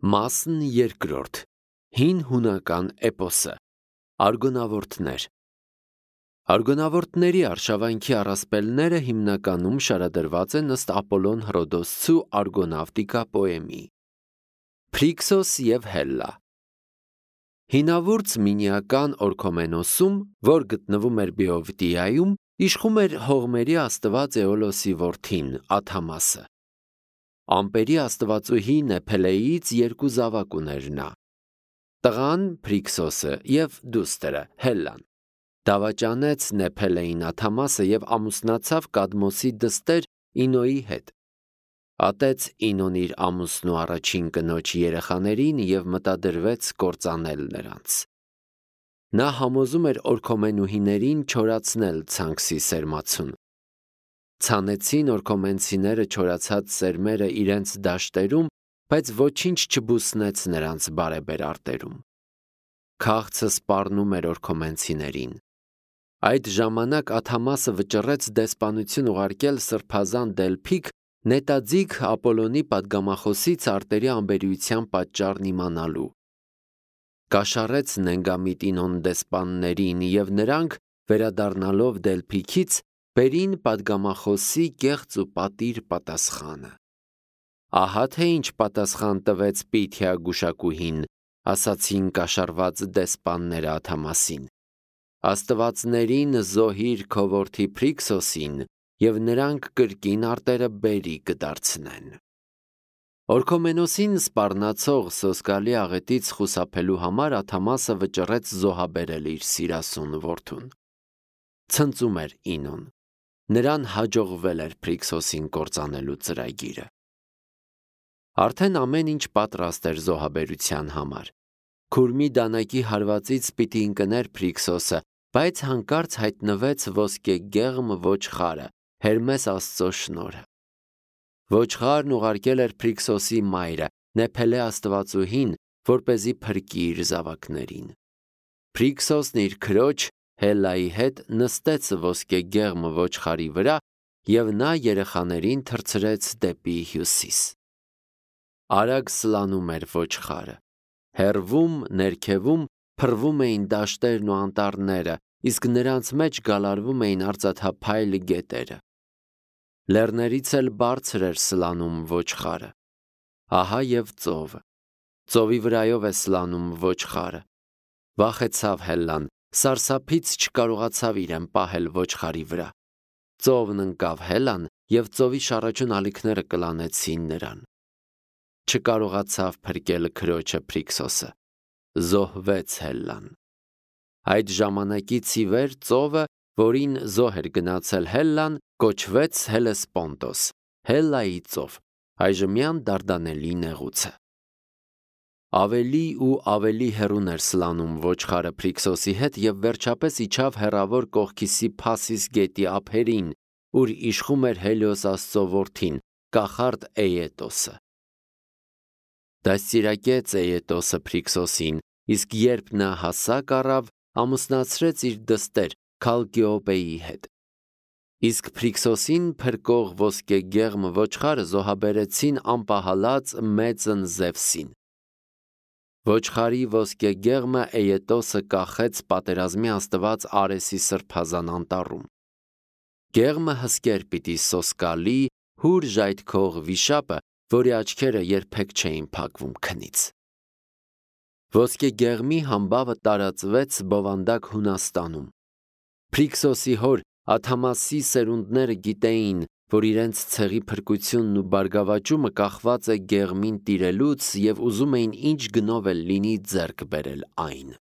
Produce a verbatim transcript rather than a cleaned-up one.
Մասն երկրորդ Հին հունական էպոսը Արգոնավորտներ Արգոնավորտների արշավանքի առասպելները հիմնականում շարադրված են ըստ Ապոլոն Հռոդոսցու Արգոնավտիկա պոեմի։ Փրիքսոս և Հելլա Հինավուրց մինիական Օրքոմենոսում, որ գտնվում էր Բեովտիայում, իշխում էր հողմերի աստված Էոլոսի որդին Աթամասը։ Ամպերի աստվածուհի Նեփելեից երկու զավակ ուներ նա։ Տղան Փրիքսոսը և դուստրը Հելլան դավաճանեց Նեփելեին Աթամասը և ամուսնացավ Կադմոսի դստեր Ինոյի հետ։ Ատեց Ինոն իր ամուսնու առաջին կնոջ երեխաներին և մտադրվեց կործանել նրանց։ Նա համոզում էր օրքոմենուհիներին չորացնել ցանքսի սերմացուն։ Ցանեցին օրքոմենցիները չորացած սերմերը իրենց դաշտերում, բայց ոչինչ չբուսնեց նրանց բարեբեր արտերում։ Քաղցը սպառնում էր օրքոմենցիներին։ Այդ ժամանակ Աթամասը վճռեց դեսպանություն ուղարկել սրբազան Դելփիկ նետաձիգ Ապոլոնի պատգամախոսից արտերի անբերության պատճառն իմանալու։ Կաշառեց Նենգամիտ Ինոն դեսպաններին, և նրանք, վերադառնալով Դելփիքից, բերին պատգամախոսի կեղծ ու պատիր պատասխանը։ Ահա թե ինչ պատասխան տվեց Պիթիա գուշակուհին, ասացին կաշառված դեսպանները Աթամասին։ Աստվածներին զոհիր քո որդի Փրիքսոսին, և նրանք կրկին արտերը բերի կդարձնեն։ Օրքոմենոսին սպառնացող սոսկալի աղետից խուսափելու համար Աթամասը վճռեց զոհաբերել իր սիրասուն որդուն։ Ցնծում էր Ինոն։ Նրան հաջողվել էր Փրիքսոսին կործանելու ծրագիրը։ Արդեն ամեն ինչ պատրաստ էր զոհաբերության համար։ Քուրմի դանակի հարվածից պիտի ընկներ Փրիքսոսը, բայց հանկարծ հայտնվեց ոսկեգեղմ ոչխարը, Հերմես Աստծո շնորհը։ Ոչխարն ուղարկել էր Փրիքսոսի մայրը, Նեփելե աստվածուհին, որպեսզի փրկի իր զավակներին։ Փրիքսոսն իր քրոջ Հելլայի հետ նստեց ոսկեգեղմ ոչխարի վրա, և նա երեխաներին թռցրեց դեպի հյուսիս։ Արագ սլանում էր ոչխարը։ Հեռվում, ներքևում փռվում էին դաշտերն ու անտառները, իսկ նրանց մեջ գալարվում էին արծաթափայլ գետերը։ Լեռներից էլ բարձր էր սլանում ոչխարը։ Ահա և ծովը։ Ծովի վրայով է սլանում ոչխարը։ Վախեցավ Հելլան, սարսափից չկարողացավ իրեն պահել ոչխարի վրա։ Ծովն ընկավ Հելլան, և ծովի շառաչուն ալիքները կլանեցին նրան։ Չկարողացավ փրկել քրոջը Փրիքսոսը։ Զոհվեց Հելլան։ Այդ ժամանակից ի վեր ծովը, որին զոհ էր գնացել Հելլան, կոչվեց Հելեսպոնտոս, Հելլայի ծով, այժմյան Դարդանելի նեղուցը։ Ավելի ու ավելի հեռուն էր սլանում ոչխարը Փրիքսոսի հետ և վերջապես իջավ հեռավոր կողքիսի Փասիս գետի ափերին, ուր իշխում էր Հելիոս Աստծո որդին, կախարդ Էետոսը։ Դաստիարակեց Էետոսը Փրիքսոսին, իսկ երբ նա հասակ առավ, ամուսնացրեց իր դստեր Քալկիոպեի հետ։ Իսկ Փրիքսոսին փրկող ոսկեգեղմ ոչխարը զոհաբերեցին անպահալած մեծն Զևսին։ Ոչխարի ոսկեգեղմը Էետոսը կախեց պատերազմի աստված Արեսի սրբազան անտառում։ Գեղմը հսկեր պիտի սոսկալի, հուր ժայթքող վիշապը, որի աչքերը երբեք չէին փակվում քնից։ Ոսկեգեղմի համբավը տարածվեց բովանդակ Հունաստանում։ Փրիքսոսի հոր Աթամասի սերունդները գիտեին, որ իրենց ցեղի փրկությունն ու բարգավաճումը կախված է գեղմին տիրելուց, և ուզում էին ինչ գնով էլ լինի ձեռք բերել այն։